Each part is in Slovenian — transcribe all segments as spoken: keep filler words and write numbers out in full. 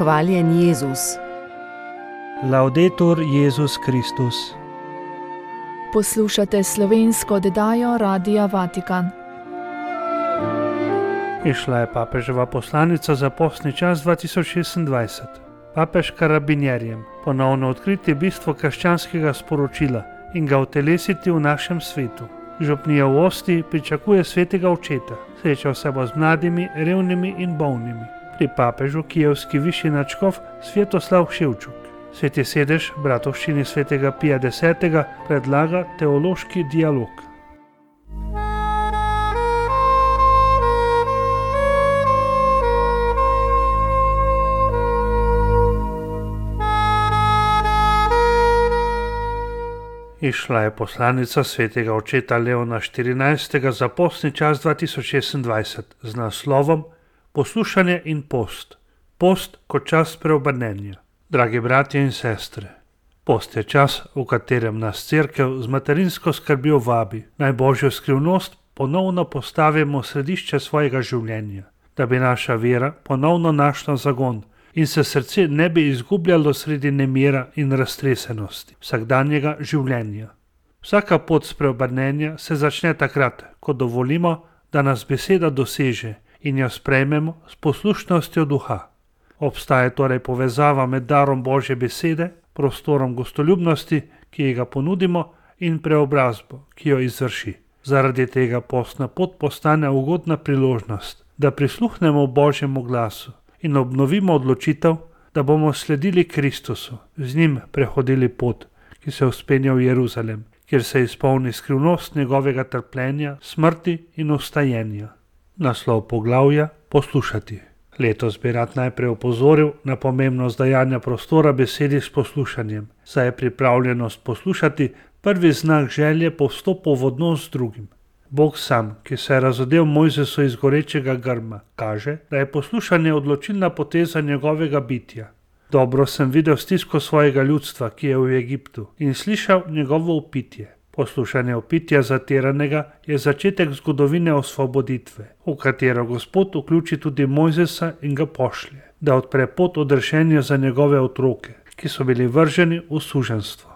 Hvaljen Jezus. Laudetur Jezus Kristus. Poslušate slovensko oddajo Radia Vatikan. Išla je papeževa poslanica za postni čas dva tisoč šestindvajset. Papež karabinjerjem ponovno odkriti bistvo krščanskega sporočila in ga utelesiti v našem svetu. Župnija v Osti pričakuje svetega očeta. Srečal se bo z mladimi, revnimi in bolnimi. Pri papežu kijevski višji nadškof Svetoslav Ševčuk. Sveti sedež bratovščini svetega Pija desetega predlaga teološki dialog. Išla je poslanica svetega očeta Leona štirinajstega za postni čas dva tisoč šestindvajset z naslovom Poslušanje in post. Post kot čas preobrnenja. Dragi bratje in sestre, post je čas, v katerem nas Cerkev z materinsko skrbjo vabi, naj Božjo skrivnost ponovno postavimo v središče svojega življenja, da bi naša vera ponovno našla zagon in se srce ne bi izgubljalo sredi nemira in raztresenosti vsakdanjega življenja. Vsaka pot spreobrnenja se začne takrat, ko dovolimo, da nas beseda doseže in jo sprejmemo s poslušnostjo duha. Obstaja torej povezava med darom Božje besede, prostorom gostoljubnosti, ki ga ponudimo, in preobrazbo, ki jo izvrši. Zaradi tega postna pot postane ugodna priložnost, da prisluhnemo Božjemu glasu in obnovimo odločitev, da bomo sledili Kristusu, z njim prehodili pot, ki se vzpenja v Jeruzalem, kjer se izpolni skrivnost njegovega trpljenja, smrti in vstajenja. Naslov poglavja Poslušati. Letos bi rad najprej opozoril na pomembnost dajanja prostora besedi s poslušanjem, saj je pripravljenost poslušati prvi znak želje po vstopu v odnos z drugim. Bog sam, ki se je razodel Mojzesu iz gorečega grma, kaže, da je poslušanje odločilna poteza njegovega bitja. Dobro sem videl stisko svojega ljudstva, ki je v Egiptu, in slišal njegovo vpitje. Poslušanje vpitja zatiranega je začetek zgodovine osvoboditve, v katero Gospod vključi tudi Mojzesa in ga pošlje, da odpre pot odrešenja za njegove otroke, ki so bili vrženi v suženjstvo.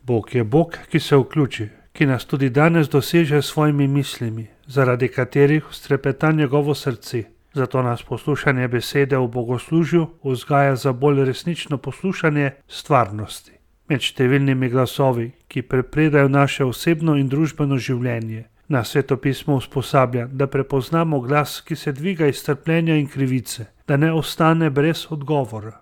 Bog je Bog, ki se vključi, ki nas tudi danes doseže s svojimi mislimi, zaradi katerih strepeta njegovo srce. Zato nas poslušanje besede v bogoslužju vzgaja za bolj resnično poslušanje stvarnosti. Med številnimi glasovi, ki prepredajo naše osebno in družbeno življenje, nas Svetopismo usposablja, da prepoznamo glas, ki se dviga iz trpljenja in krivice, da ne ostane brez odgovora.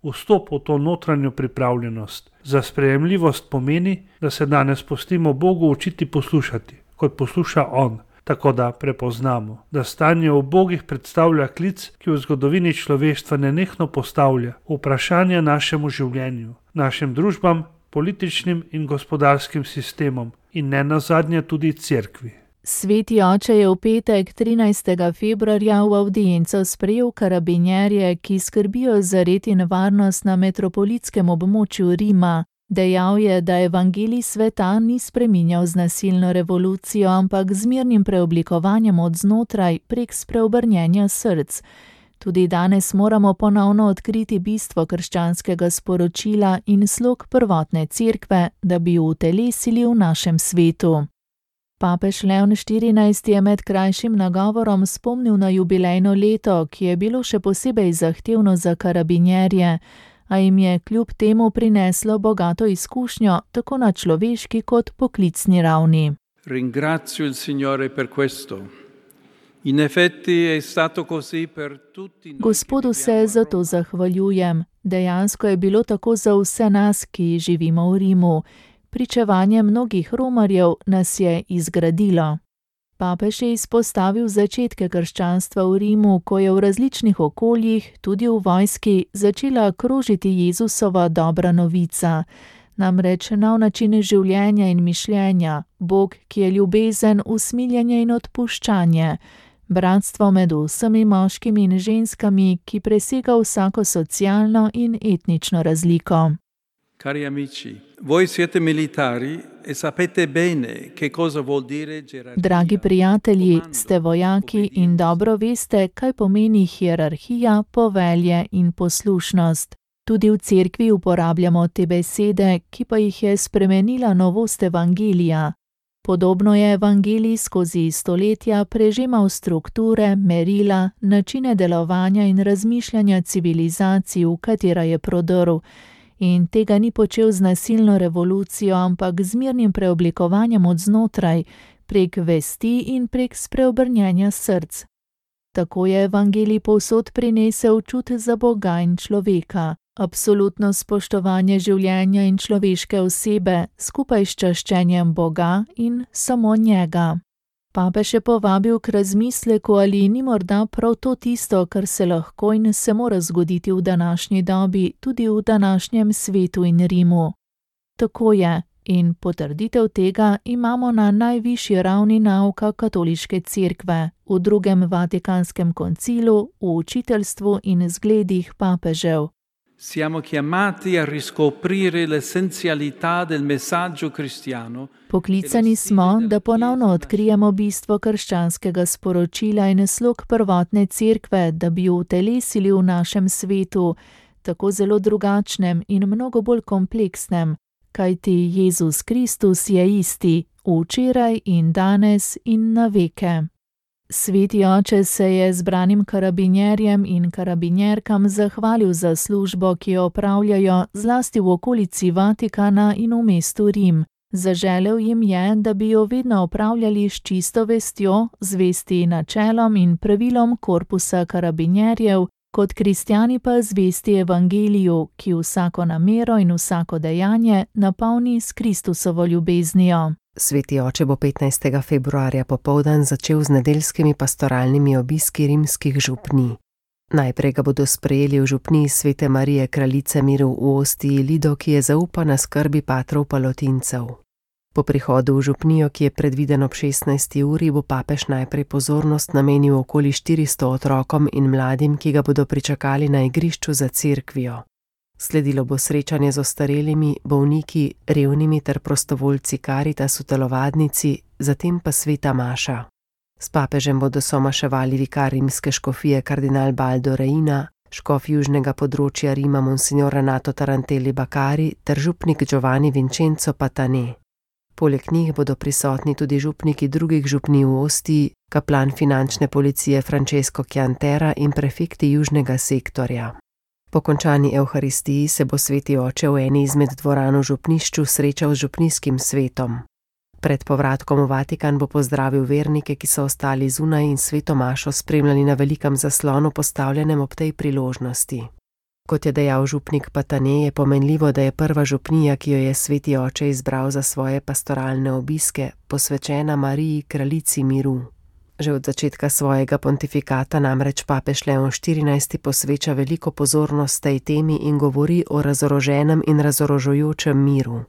Vstop v to notranjo pripravljenost za sprejemljivost pomeni, da se danes pustimo Bogu učiti poslušati, kot posluša On, tako da prepoznamo, da stanje v Bogih predstavlja klic, ki v zgodovini človeštva nenehno postavlja vprašanja našemu življenju, našim družbam, političnim in gospodarskim sistemom in ne nazadnje tudi cerkvi. Sveti oče je v petek trinajstega februarja v avdienco sprejel karabinjerje, ki skrbijo za red in varnost na metropolitskem območju Rima. Dejal je, da evangelij sveta ni spreminjal z nasilno revolucijo, ampak z mirnim preoblikovanjem od znotraj prek spreobrnjenja src. Tudi danes moramo ponovno odkriti bistvo krščanskega sporočila in slog prvotne cerkve, da bi jo utelesili v našem svetu. Papež Leon štirinajsti je med krajšim nagovorom spomnil na jubilejno leto, ki je bilo še posebej zahtevno za karabinjerje, a jim je kljub temu prineslo bogato izkušnjo tako na človeški kot poklicni ravni. Ringrazio il Signore per questo. In effetti è stato così per tutti. Gospodu se zato zahvaljujem. Dejansko je bilo tako za vse nas, ki živimo v Rimu. Pričevanje mnogih romarjev nas je izgradilo. Papež je izpostavil začetke krščanstva v Rimu, ko je v različnih okoljih, tudi v vojski, začela krožiti Jezusova dobra novica. Namreč nov način življenja in mišljenja, Bog, ki je ljubezen, usmiljenje in odpuščanje. Bratstvo med vsemi moškimi in ženskami, ki presega vsako socialno in etnično razliko. Cari amici, voi siete militari e sapete bene che cosa vuol dire gerarchia. Dragi prijatelji, ste vojaki in dobro veste, kaj pomeni hierarhija, povelje in poslušnost. Tudi v cerkvi uporabljamo te besede, ki pa jih je spremenila novost evangelija. Podobno je evangelij skozi stoletja prežemal strukture, merila, načine delovanja in razmišljanja civilizacij, v katera je prodrl. In tega ni počel z nasilno revolucijo, ampak z mirnim preoblikovanjem od znotraj, prek vesti in prek spreobrnjenja src. Tako je evangelij povsod prinesel čut za Boga in človeka, absolutno spoštovanje življenja in človeške osebe, skupaj s čaščenjem Boga in samo njega. Papež je povabil k razmisleku, ali ni morda prav to tisto, kar se lahko in se mora zgoditi v današnji dobi, tudi v današnjem svetu in Rimu. Tako je, in potrditev tega imamo na najvišji ravni nauka katoliške cerkve, v drugem Vatikanskem koncilu, v učiteljstvu in zgledih papežev. Siamo chiamati a riscoprire l'essenzialità del messaggio cristiano. Poklicani smo, da ponovno odkrijemo bistvo krščanskega sporočila in slog prvotne cerkve, da bi jo utelesili v našem svetu, tako zelo drugačnem in mnogo bolj kompleksnem, kajti Jezus Kristus je isti, včeraj in danes in na veke. Sveti oče se je zbranim karabinjerjem in karabinjerkam zahvalil za službo, ki jo opravljajo zlasti v okolici Vatikana in v mestu Rim. Zaželel jim je, da bi jo vedno opravljali s čisto vestjo, zvesti načelom in pravilom korpusa karabinjerjev, kot kristjani pa zvesti evangeliju, ki vsako namero in vsako dejanje napolni s Kristusovo ljubeznijo. Sveti oče bo petnajstega februarja popoldan začel z nedeljskimi pastoralnimi obiski rimskih župnij. Najprej ga bodo sprejeli v župniji Svete Marije Kraljice miru v Ostiji Lido, ki je zaupana skrbi patrov palotincev. Po prihodu v župnijo, ki je predviden ob šestnajsti uri, bo papež najprej pozornost namenil okoli štiristo otrokom in mladim, ki ga bodo pričakali na igrišču za cerkvijo. Sledilo bo srečanje z ostarelimi, bolniki, revnimi ter prostovoljci Karitas v telovadnici, zatem pa sveta maša. S papežem bodo somaševali vikar rimske škofije kardinal Baldo Reina, škof južnega področja Rima monsignor Renato Tarantelli Bakari ter župnik Giovanni Vincenzo Patane. Poleg njih bodo prisotni tudi župniki drugih župnij v Ostiji, kaplan finančne policije Francesco Chiantera in prefekti južnega sektorja. Po končani evharistiji se bo sveti oče v eni izmed dvoran v župnišču srečal z župnijskim svetom. Pred povratkom v Vatikan bo pozdravil vernike, ki so ostali zunaj in sveto mašo spremljali na velikem zaslonu postavljenem ob tej priložnosti. Kot je dejal župnik Patane, je pomenljivo, da je prva župnija, ki jo je sveti oče izbral za svoje pastoralne obiske, posvečena Mariji Kraljici miru. Že od začetka svojega pontifikata namreč papež Leon štirinajsti posveča veliko pozornost tej temi in govori o razoroženem in razorožujočem miru.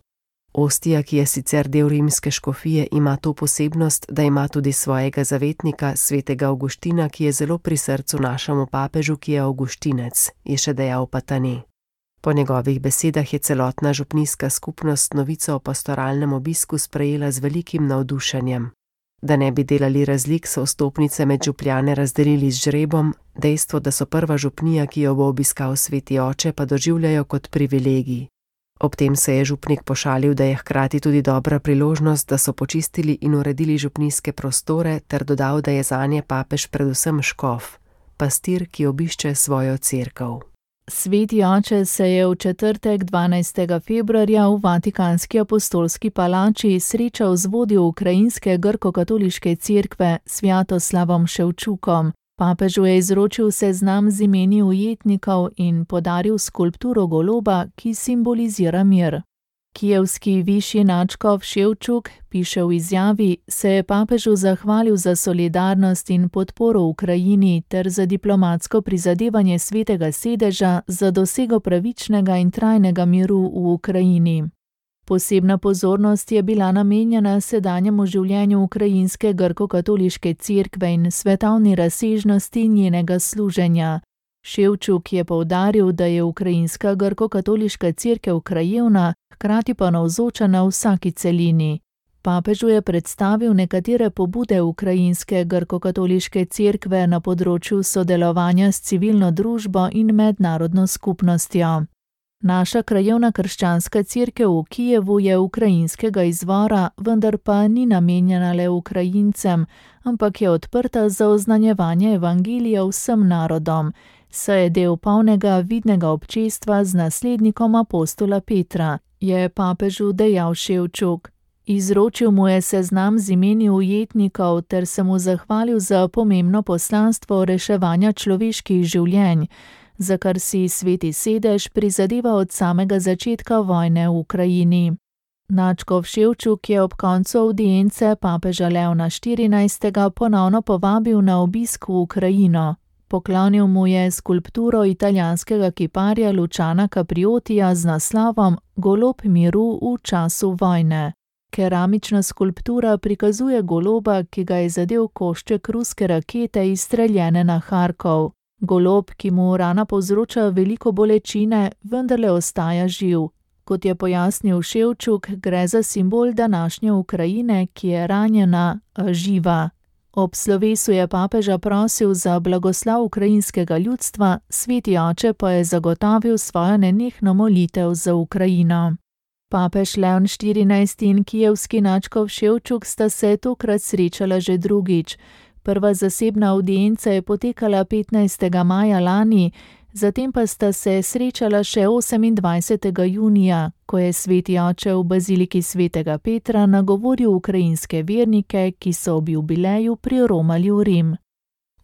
Ostija, ki je sicer del rimske škofije, ima to posebnost, da ima tudi svojega zavetnika, svetega Avguština, ki je zelo pri srcu našemu papežu, ki je avguštinec, je še dejal Patane. Po njegovih besedah je celotna župnijska skupnost novico o pastoralnem obisku sprejela z velikim navdušenjem. Da ne bi delali razlik, so vstopnice med župljane razdelili z žrebom, dejstvo, da so prva župnija, ki jo bo obiskal sveti oče, pa doživljajo kot privilegij. Ob tem se je župnik pošalil, da je hkrati tudi dobra priložnost, da so počistili in uredili župnijske prostore, ter dodal, da je zanje papež predvsem škof, pastir, ki obišče svojo cerkev. Sveti oče se je v četrtek dvanajstega februarja v Vatikanski apostolski palači srečal z vodjo ukrajinske grko-katoliške cerkve Svjatoslavom Ševčukom. Papežu je izročil seznam z imeni ujetnikov in podaril skulpturo goloba, ki simbolizira mir. Kijevski višji nadškof Ševčuk piše v izjavi, se je papežu zahvalil za solidarnost in podporo Ukrajini ter za diplomatsko prizadevanje svetega sedeža za dosego pravičnega in trajnega miru v Ukrajini. Posebna pozornost je bila namenjena sedanjemu življenju ukrajinske grko-katoliške cerkve in svetovni razsežnosti njenega služenja. Ševčuk je poudaril, da je ukrajinska grko-katoliška cerkev krajevna, hkrati pa navzoča na vsaki celini. Papežu je predstavil nekatere pobude ukrajinske grko-katoliške cerkve na področju sodelovanja s civilno družbo in mednarodno skupnostjo. Naša krajevna krščanska cerkev v Kijevu je ukrajinskega izvora, vendar pa ni namenjena le Ukrajincem, ampak je odprta za oznanjevanje evangelija vsem narodom, saj je del polnega vidnega občestva z naslednikom apostola Petra, je papežu dejal Ševčuk. Izročil mu je seznam z imeni ujetnikov ter se mu zahvalil za pomembno poslanstvo reševanja človeških življenj, za kar si Sveti sedež prizadeva od samega začetka vojne v Ukrajini. Nadškof Ševčuk je ob koncu avdience papeža Leona štirinajstega ponovno povabil na obisk v Ukrajino. Poklonil mu je skulpturo italijanskega kiparja Luciana Capriotija z naslovom Golob miru v času vojne. Keramična skulptura prikazuje goloba, ki ga je zadel košček ruske rakete izstreljene na Harkov. Golob, ki mu rana povzroča veliko bolečine, vendarle ostaja živ. Kot je pojasnil Ševčuk, gre za simbol današnje Ukrajine, ki je ranjena, a živa. Ob slovesu je papeža prosil za blagoslov ukrajinskega ljudstva, Sveti oče pa je zagotovil svojo nenehno molitev za Ukrajino. Papež Leon štirinajsti in kijevski nadškof Ševčuk sta se tokrat srečala že drugič. Prva zasebna avdienca je potekala petnajstega maja lani, zatem pa sta se srečala še osemindvajsetega junija, ko je Sveti oče v baziliki svetega Petra nagovoril ukrajinske vernike, ki so ob jubileju priromali v Rim.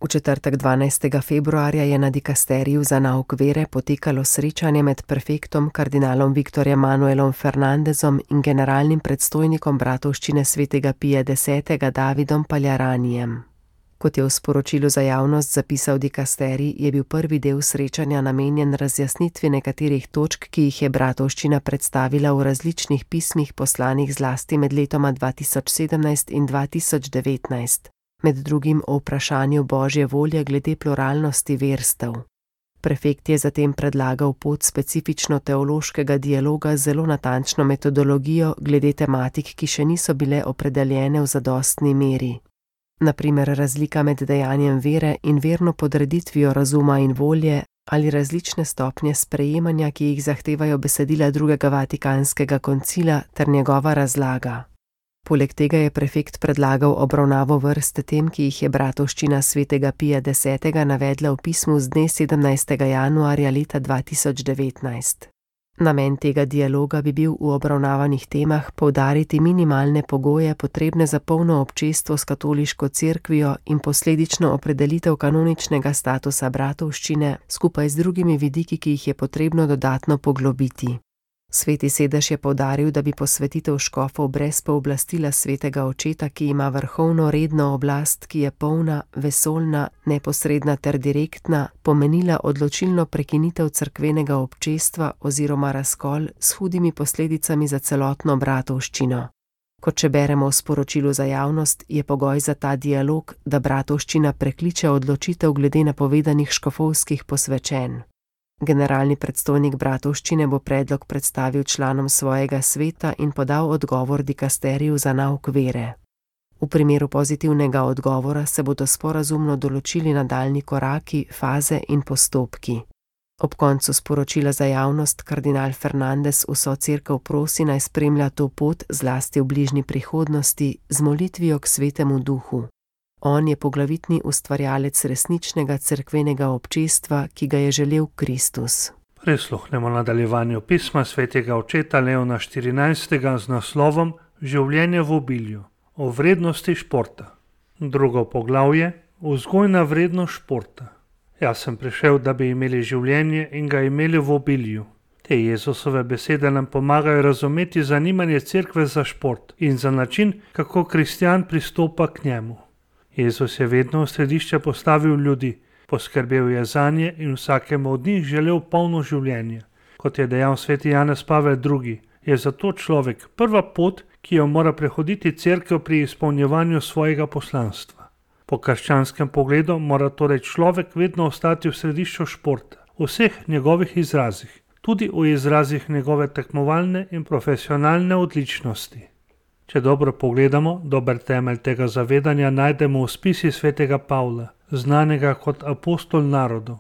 V četrtek dvanajstega februarja je na dikasteriju za nauk vere potekalo srečanje med prefektom kardinalom Viktorjem Manuelom Fernandezom in generalnim predstojnikom bratovščine svetega Pija desetega Davidom Paljaranijem. Kot je v sporočilu za javnost zapisal dikasterij, je bil prvi del srečanja namenjen razjasnitvi nekaterih točk, ki jih je bratovščina predstavila v različnih pismih poslanih zlasti med letoma dva tisoč sedemnajst in dva tisoč devetnajst. Med drugim o vprašanju Božje volje glede pluralnosti verstev. Prefekt je zatem predlagal pot specifično teološkega dialoga z zelo natančno metodologijo glede tematik, ki še niso bile opredeljene v zadostni meri. Na primer razlika med dejanjem vere in verno podreditvijo razuma in volje ali različne stopnje sprejemanja, ki jih zahtevajo besedila drugega Vatikanskega koncila ter njegova razlaga. Poleg tega je prefekt predlagal obravnavo vrste tem, ki jih je bratovščina svetega Pija desetega navedla v pismu z dne sedemnajstega januarja leta dva tisoč devetnajst. Namen tega dialoga bi bil v obravnavanih temah poudariti minimalne pogoje potrebne za polno občestvo s katoliško cerkvijo in posledično opredelitev kanoničnega statusa bratovščine skupaj z drugimi vidiki, ki jih je potrebno dodatno poglobiti. Sveti sedež je poudaril, da bi posvetitev škofov brez pooblastila svetega očeta, ki ima vrhovno redno oblast, ki je polna, vesoljna, neposredna ter direktna, pomenila odločilno prekinitev cerkvenega občestva oziroma razkol s hudimi posledicami za celotno bratovščino. Kot če beremo v sporočilu za javnost, je pogoj za ta dialog, da bratovščina prekliče odločitev glede napovedanih škofovskih posvečenj. Generalni predstojnik bratovščine bo predlog predstavil članom svojega sveta in podal odgovor dikasteriju za nauk vere. V primeru pozitivnega odgovora se bodo sporazumno določili nadaljnji koraki, faze in postopki. Ob koncu sporočila za javnost kardinal Fernandez vso cerkev prosi, naj spremlja to pot zlasti v bližnji prihodnosti z molitvijo k svetemu duhu. On je poglavitni ustvarjalec resničnega cerkvenega občestva, ki ga je želel Kristus. Prisluhnemo nadaljevanju pisma svetega očeta Leona štirinajstega z naslovom Življenje v obilju, o vrednosti športa. Drugo poglavje, vzgojna vrednost športa. Jaz sem prišel, da bi imeli življenje in ga imeli v obilju. Te Jezusove besede nam pomagajo razumeti zanimanje cerkve za šport in za način, kako kristjan pristopa k njemu. Jezus je vedno v središče postavil ljudi, poskrbel je zanje in vsakemu od njih želel polno življenje. Kot je dejal sveti Janez Pavel drugi, je zato človek prva pot, ki jo mora prehoditi cerkev pri izpolnjevanju svojega poslanstva. Po krščanskem pogledu mora torej človek vedno ostati v središču športa, v vseh njegovih izrazih, tudi v izrazih njegove tekmovalne in profesionalne odličnosti. Če dobro pogledamo, dober temelj tega zavedanja najdemo v spisih svetega Pavla, znanega kot apostol narodov.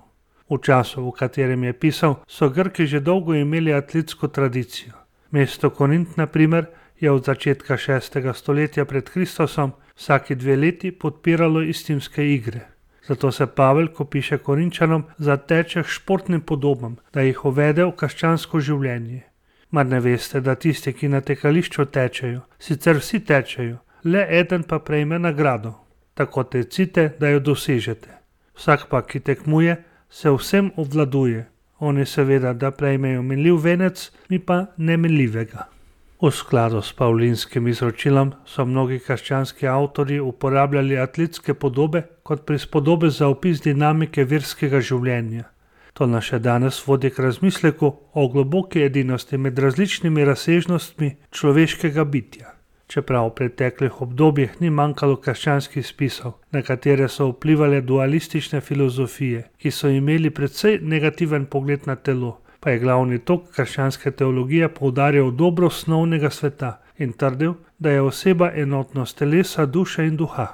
V času, v katerem je pisal, so Grki že dolgo imeli atletsko tradicijo. Mesto Korint, na primer, je od začetka šestega stoletja pred Kristusom vsaki dve leti podpiralo istimske igre. Zato se Pavel, ko piše Korinčanom, zateče k športnim podobam, da jih uvede v krščansko življenje. Mar ne veste, da tisti, ki na tekališču tečejo, sicer vsi tečejo, le eden pa prejme nagrado. Tako tecite, da jo dosežete. Vsak pa, ki tekmuje, se vsem obvladuje. Oni seveda, da prejmejo minljiv venec, mi pa neminljivega. V skladu s pavlinskim izročilom so mnogi krščanski avtorji uporabljali atletske podobe kot prispodobe za opis dinamike verskega življenja. To nas še danes vodi k razmisleku o globoki edinosti med različnimi razsežnostmi človeškega bitja. Čeprav v preteklih obdobjih ni manjkalo krščanskih spisov, na katere so vplivale dualistične filozofije, ki so imeli precej negativen pogled na telo, pa je glavni tok krščanske teologije poudarjal dobro osnovnega sveta in trdil, da je oseba enotnost telesa, duše in duha.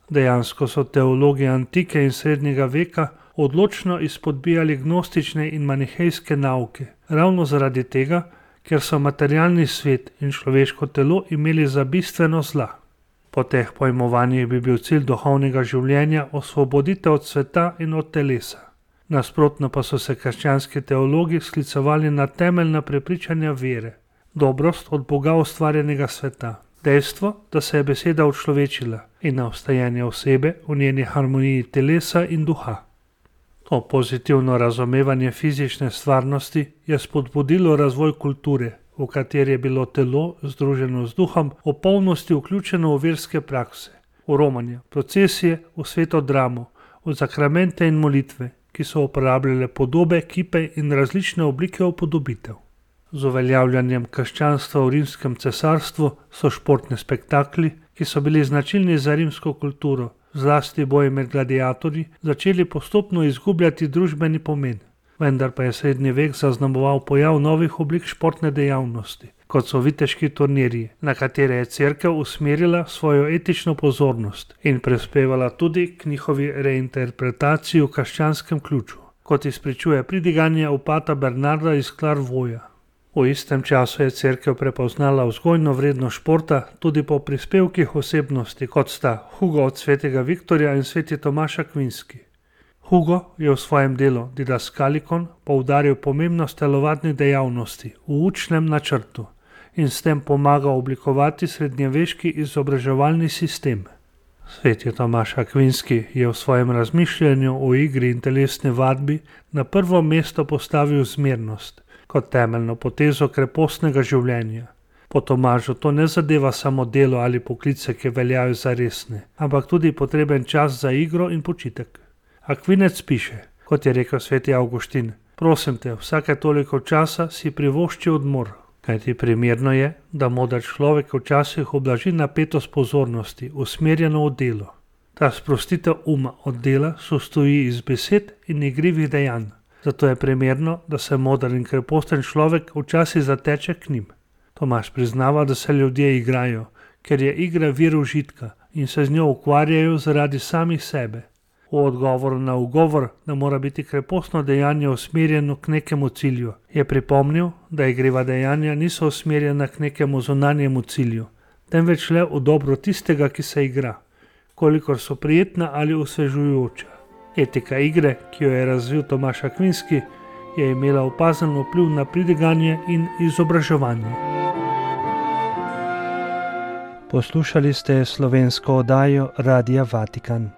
Dejansko so teologi antike in srednjega veka odločno izpodbijali gnostične in manihejske nauke, ravno zaradi tega, ker so materialni svet in človeško telo imeli za bistveno zla. Po teh pojmovanjih bi bil cilj duhovnega življenja osvoboditev od sveta in od telesa. Nasprotno pa so se krščanski teologi sklicovali na temeljna prepričanja vere, dobrost od Boga ustvarjenega sveta, dejstvo, da se je beseda učlovečila in na obstajanje osebe v njeni harmoniji telesa in duha. To pozitivno razumevanje fizične stvarnosti je spodbudilo razvoj kulture, v kateri je bilo telo, združeno z duhom, v polnosti vključeno v verske prakse, v romanje, procesije, v sveto dramo, v zakramente in molitve, ki so uporabljale podobe, kipe in različne oblike upodobitev. Z uveljavljanjem krščanstva v rimskem cesarstvu so športni spektakli, ki so bili značilni za rimsko kulturo, zlasti boji med gladiatorji, začeli postopno izgubljati družbeni pomen. Vendar pa je srednji vek zaznamoval pojav novih oblik športne dejavnosti, kot so viteški turnirji, na katere je cerkev usmerila svojo etično pozornost in prispevala tudi k njihovi reinterpretaciji v krščanskem ključu, kot izpričuje pridiganje opata Bernarda iz Clairvauxa. V istem času je cerkev prepoznala vzgojno vrednost športa tudi po prispevkih osebnosti, kot sta Hugo od svetega Viktorja in sveti Tomaš Akvinski. Hugo je v svojem delu Didaskalikon poudaril pomembnost telovadnih dejavnosti v učnem načrtu in s tem pomagal oblikovati srednjeveški izobraževalni sistem. Sveti Tomaš Akvinski je v svojem razmišljanju o igri in telesni vadbi na prvo mesto postavil zmernost kot temeljno potezo krepostnega življenja. Po Tomažu to ne zadeva samo delo ali poklice, ki veljajo za resne, ampak tudi potreben čas za igro in počitek. Akvinec piše, kot je rekel sveti Avguštin, prosim te, vsake toliko časa si privošči odmor, kajti primerno je, da moder človek včasih oblaži napetost pozornosti, usmerjeno v delo. Ta sprostitev uma od dela sostoji iz besed in igrivih dejanj. Zato je primerno, da se moder in kreposten človek včasih zateče k njim. Tomaž priznava, da se ljudje igrajo, ker je igra vir užitka in se z njo ukvarjajo zaradi samih sebe. V odgovoru na ugovor, da mora biti krepostno dejanje usmerjeno k nekemu cilju, je pripomnil, da igriva dejanja niso usmerjena k nekemu zunanjemu cilju, temveč le v dobro tistega, ki se igra, kolikor so prijetna ali osvežujoča. Etika igre, ki jo je razvil Tomaš Akvinski, je imela opazen vpliv na pridiganje in izobraževanje. Poslušali ste slovensko oddajo Radia Vatikan.